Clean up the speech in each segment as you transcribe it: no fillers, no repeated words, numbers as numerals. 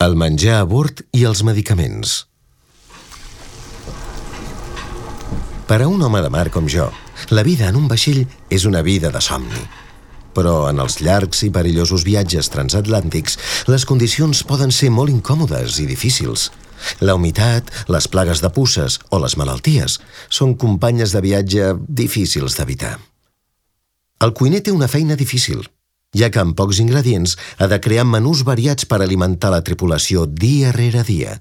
El menjar a bord i els medicaments. Per a un home de mar com jo, la vida en un vaixell és una vida de somni. Però en els llargs i perillosos viatges transatlàntics, les condicions poden ser molt incòmodes i difícils. La humitat, les plagues de puces o les malalties són companyes de viatge difícils d'evitar. El cuiner té una feina difícil, ja que amb pocs ingredients ha de crear menús variats per alimentar la tripulació dia rere dia.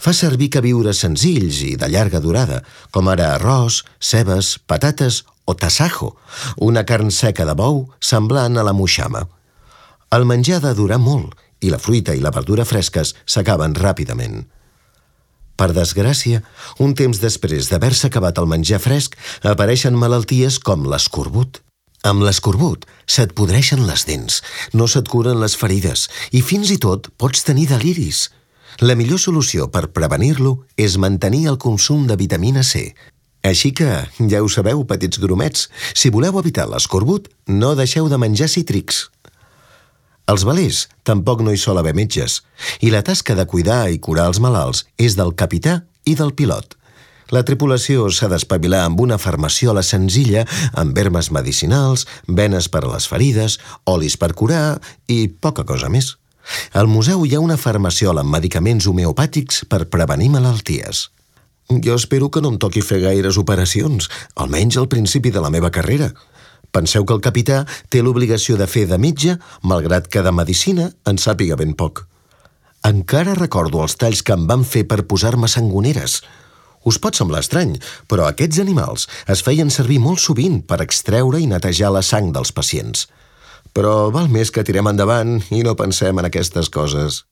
Fa servir queviures senzills i de llarga durada, com ara arròs, cebes, patates o tasajo, una carn seca de bou semblant a la moixama. El menjar ha de durar molt i la fruita i la verdura fresques s'acaben ràpidament. Per desgràcia, un temps després d'haver-se acabat el menjar fresc, apareixen malalties com l'escorbut. Amb l'escorbut se't podreixen les dents, no se't curen les ferides i fins i tot pots tenir deliris. La millor solució per prevenir-lo és mantenir el consum de vitamina C. Així que, ja ho sabeu, petits grumets, si voleu evitar l'escorbut, no deixeu de menjar cítrics. Als velers tampoc no hi sol haver metges, i la tasca de cuidar i curar els malalts és del capità i del pilot. La tripulació s'ha d'espavilar amb una farmaciola senzilla, amb vermes medicinals, venes per a les ferides, olis per curar i poca cosa més. Al museu hi ha una farmaciola amb medicaments homeopàtics per prevenir malalties. Jo espero que no em toqui fer gaires operacions, almenys al principi de la meva carrera. Penseu que el capità té l'obligació de fer de metge, malgrat que de medicina en sàpiga ben poc. Encara recordo els talls que em van fer per posar-me sangoneres. Us pot semblar estrany, però aquests animals es feien servir molt sovint per extreure i netejar la sang dels pacients. Però val més que tirem endavant i no pensem en aquestes coses.